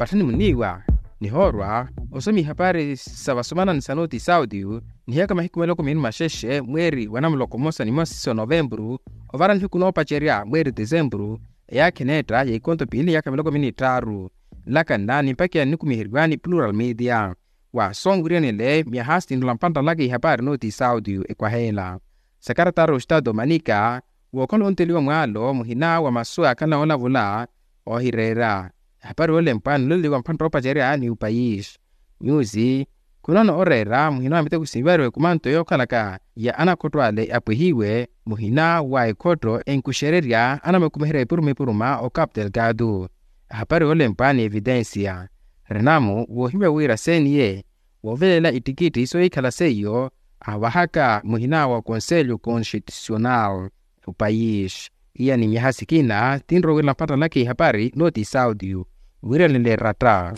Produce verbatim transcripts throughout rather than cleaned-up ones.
Patthani muniiwa nihoorwa osomi ihapari sa vasomanani sa noti saudio. Nihiyaka mahiku miloko miili maxexe mweeri wa namuloko mmosa ni mmosa siso novempuru, ovara nihiku noopacerya mweeri desempuru, eyaakha eneetta ya ikonto piili niyaka miloko miili ni tthaaru. Nlaka nna nimpakiya ninnukumiheriwa ni plural media. Wa soowiiranile myaha sinrola mpantta nlaka ihapari noti saudio ekwaheela. Sakaratari ostato manika wookhala onteliwa mwaalo muhina wa masu aakhala noolavula oohireera. Ehapari yoolempwa niloleliwa mpantta oopacerya ni upayisi. Nyusi khunona oreera muhina wa miteko sinvariwe kumanto yookhalaka ya anakhotto ale apwehiwe muhina wa ekhotto enkuxererya anamakumiherya epuruma epuruma o capital gado. Ehapari yoolempwa ni evitensiya. Renamu woohimya wira seniye woovelela ittikitthi soohikhala seiyo ahuvahaka muhina wa konselho konstitusional. Upayisi iya ni myaha sikina tinrowiirela mpattalaka ihapari noti saudio. Wiiranile ratta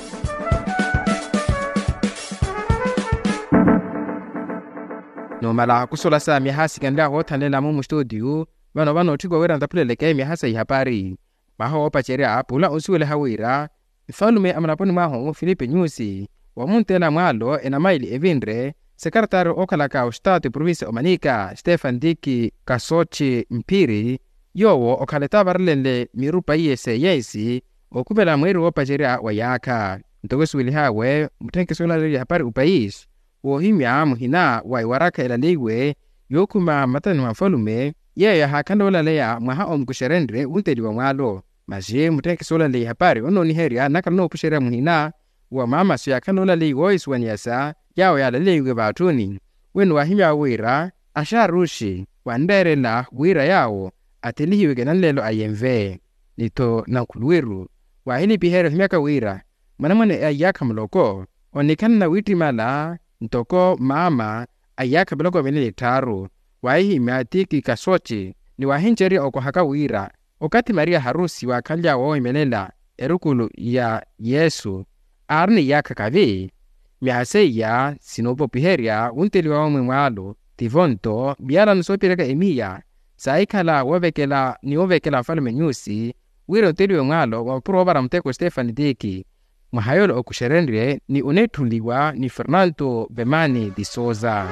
numala kusolasa myaha sikanilya woothanlela mumu studio. Vano vano otthikwa wira ntaphuleleke myaha sa ihapari. Mwaha woopacerya pula onsuweliha wira nfalume a mulaponi mwahu filipe nyusi wamunteela mwaalo enamaili evinre sekaratari ookhalaka ostato eprovincia omanika stefan diki kasochi mphiri. Yoowo okhala etavarelenle mirupa iye seyensi okhumela mweeri woopacerya wa yaakha ntoko esuwelihaawe mutthenkeso oolaleya ehapari upayisi woohimya muhina wa ewarakha elaleiwe yookhuma mmatani mwa nfalume yeeyo yahaakhanle oolaleya mwaha omukuxerenrye wunteliwa mwaalo. Masi mutthenkeso oolaleya ehapari onooniherya nnakhala onoopuxerya muhina wa maamaso yaakhanle oolaleya woohisuwaniyasa yaawo yaalaleiwe vaatthuni. Wino waahimya wira axaaruxi wanreerela wira yaawo athelihiweke nanleelo a yenve ni-tho nankhuluwiru. Waahilipiherya ohimyaka wira mwanamwane a iyaakha muloko onikhalana wittimala ntoko maama a iyaakha miloko mili ni tthaaru. Waahihimya tiki kasochi ni waahincerya okohaka wira okathi mariya harusi waakhanly'awe woohimelela erukulu ya yesu aari ni iyaakha kavi. Myaha seiya sinoopopiherya wunteliwa wamwe mwaalo tivo nto miyalano soopiheryaka emiya saahikhala woovekela ni woovekela nfalume nyusi wira onteliwe mwaalo wa mapuro oovara muteko stefani tiki. Mwaha yoola okuxerenrye ni oneetthuliwa ni fernanto vemani di sousa.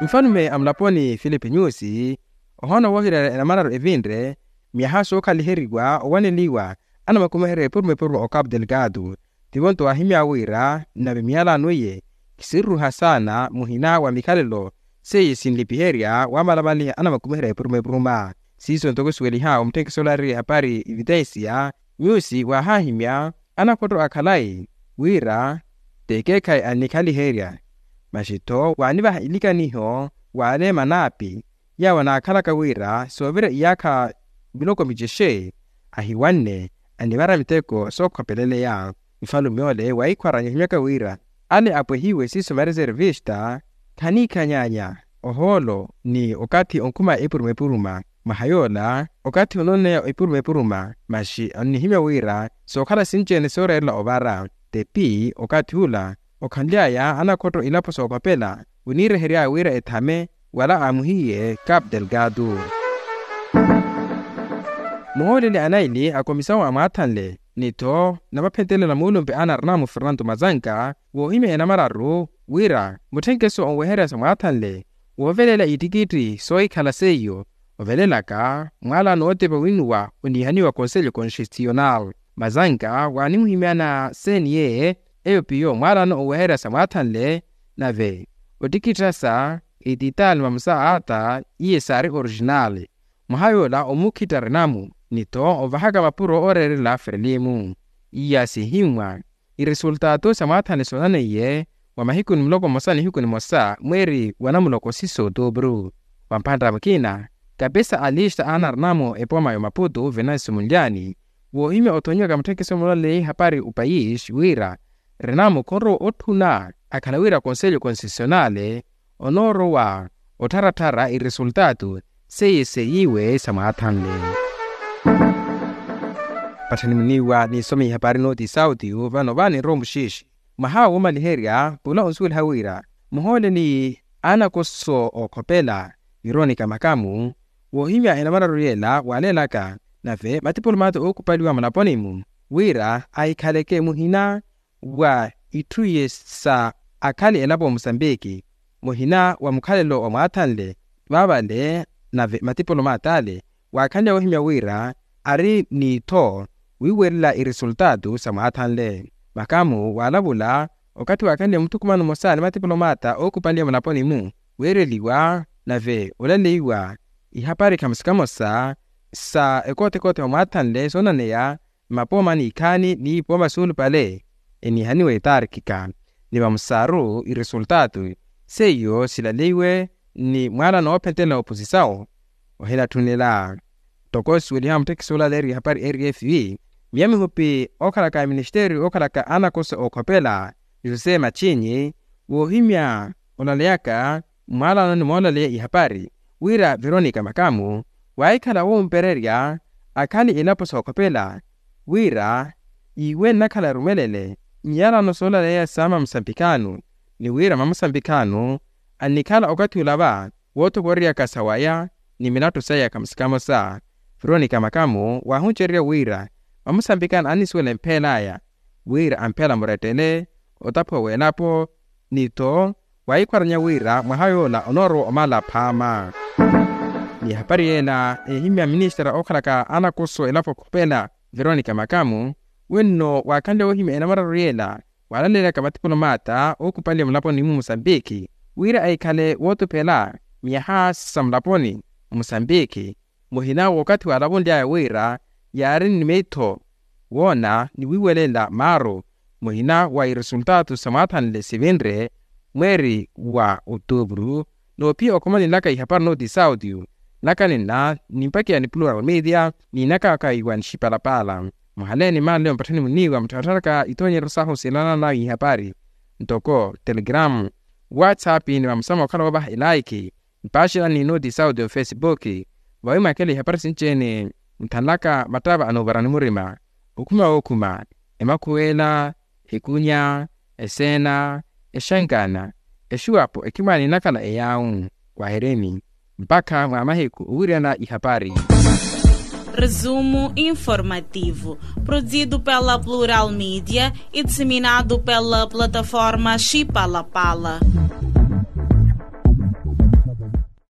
Nfalume a mulaponi filipe nyusi ohoona woohireera enamararu evinre myaha sookhaliheriwa owaneliwa anamakumiherya epuruma epuruma o capu delgado. Tivo nto waahimya wira nave miyalano iye kisiruruha saana muhina wa mikhalelo seiye sinlipiherya wamalamaliha anamakumiherya epuruma epuruma. Siiso ntoko suweliha omutthenkeso olaareriwa ehapari evitensiya nyusi waahahimya anakhotto a khalayi wira t'ekeekhayi annikhaliherya. Masi-tho waanivaha ilikaniho w'ale manaapi yaawo anaakhalaka wira soovira iyaakha miloko micexe ahiwanne anivara miteko sookhopeleleya. Nfalume ole wahikhwaranya ohimyaka wira ale apwehiwe siiso mareservista khaniikhanyaanya ohoolo ni okathi onkhuma epuruma epuruma. Mwaha yoola okathi onooneya epuruma epuruma masi onnihimya wira sookhala sinci-ene sooreerela ovara. Tepi okathi ula okhanly'aya anakhotto ilapo sookhopela oniirehery'aya wira ethame wala aamuhiye capu delgado. Muhooleli anaili akomisawu amwaathanle ni-tho namaphentelela muulumpe a narina mu fernanto mazanka woohimya enamararu wira mutthenkeso onweherya samwaathanle woovelela ittikitti soohikhala seiyo ovelelaka mwaala nootepa winuwa oniihaniwa konselho konstitisyonal. Mazanka waanimuhimyana seniye eyo piyo mwaalano oweherya samwaathanle nave ottikittasa ititali mamusa ata iye saari orijinali. Mwaha yoola omukhitta renamu ni-tho ovahaka mapuro ooreerela ferelimu. Iya sihimmwa iresultato samwaathanle soonaneiye wa mahiku ni muloko mmosa nihiku nimosa mweeri wa namuloko siso otuupuru. Wa mphantta mukina kapesa a lista a narina-mo epoma ya omaputu venansi munlyani woohimya othonyiwaka mutthekiso mulaleyi hapari opayisi wira renamu khonrowa otthuna akhala wira konselho konstitisyonale onoorowa ottharatthara iresultato seiye seiyiwe samwaathanle. Patthani muniiwa niisome ihapari nooti sauti vano vaani nrowa muxiixi mwaha womaliherya pula onsuweliha wira muhooleli anakoso ookhopela veronica makamu woohimya enamararu yeela waaleelaka nave matipulomata ookupaliwa mulaponi-mu wira ahikhaleke muhina wa itthu iye sa akhali elapo musambiki, muhina wa mukhalelo wa mwaathanle vaavale nave matipolomaat'ale waakhanle woohimya wira ari n'itho wiiwerela iresultaatu sa mwaathanle. Makamu waalavula okathi waakhanle muthukumano mmosa ni matipolomaata ookupanliya mulaponi-mu, weereliwa nave olaleiwa ihapari khamosa khamosa sa ekothekothe wa mwaathanle soonaneya mmapooma n'ikhaani n'ipooma suulupale eniihaniwa etarkika. Ni vamusaaru iresultaatu seiyo silaleiwe ni mwaalano oophentelela oposisawu ohinatthunela. Ntoko suweliha muttekisi olaleeriwa ihapari rfv, miya mihupi ookhalaka a ministeriyo ookhalaka anakoso ookhopela jose machinyi woohimya olaleyaka mwaalano ni moolaleya ihapari wira veronica makamu waahikhala wompererya akhali elapo sookhopela wira iwe nnakhala erumelele nyiyalano soolaleya sa mamusambikano ni wira mamusambikano annikhala okathi olava woothokoreryaka sawaya ni milattu saya khamosa khamosa. Veronica makamu waahuncererya wira mamusambikano annisuwela empheel'aya wira amphela murettele otaphuwa w'elapo ni-tho wahikhwaranya wira mwaha yoola onoorowa omala phaama. Ni ehapari yeela eehimya ministera ookhalaka anakoso elapo khupela veronica makamu wenno waakhanle woohimya enamararu yeela waalaleelaka matipolomaata ookupanliya mulaponi-mu musambiki wira ahikhale wootuphela miyaha sa mulaponi musambiki muhina w'okathi waalavunly'aya wira yaari ni miitho woona ni wiiwelela maaru muhina wa iresultaatu sa mwaathanle sivinre mweeri wa otuupuru. Noophiya okhomanilaka ihapari nooti saudio naka ninna nimpakiya ni plural media niinakaka iwa nixipalapala muhaleeni maanle mpatthani muniiwa muttharatharaka itoonyeryo sahu silanana ihapari ntoko telegramu whatsapp ni vamusama okhala woovaha elaikhi mpaaxela ni nooti saudio facebook. Vawi mwaakela ihapari sinci-ene nthanlaka mattava anoovarani murima okhuma wookhuma emakhuwela ekunya eseena exenkana exuwapo ekhimwaani nnakhala eyaawu. Wahereni mpakha mwa mahiku owiryana ihapari. Resumo informativo produzido pela plural media e disseminado pela plataforma xipalapala.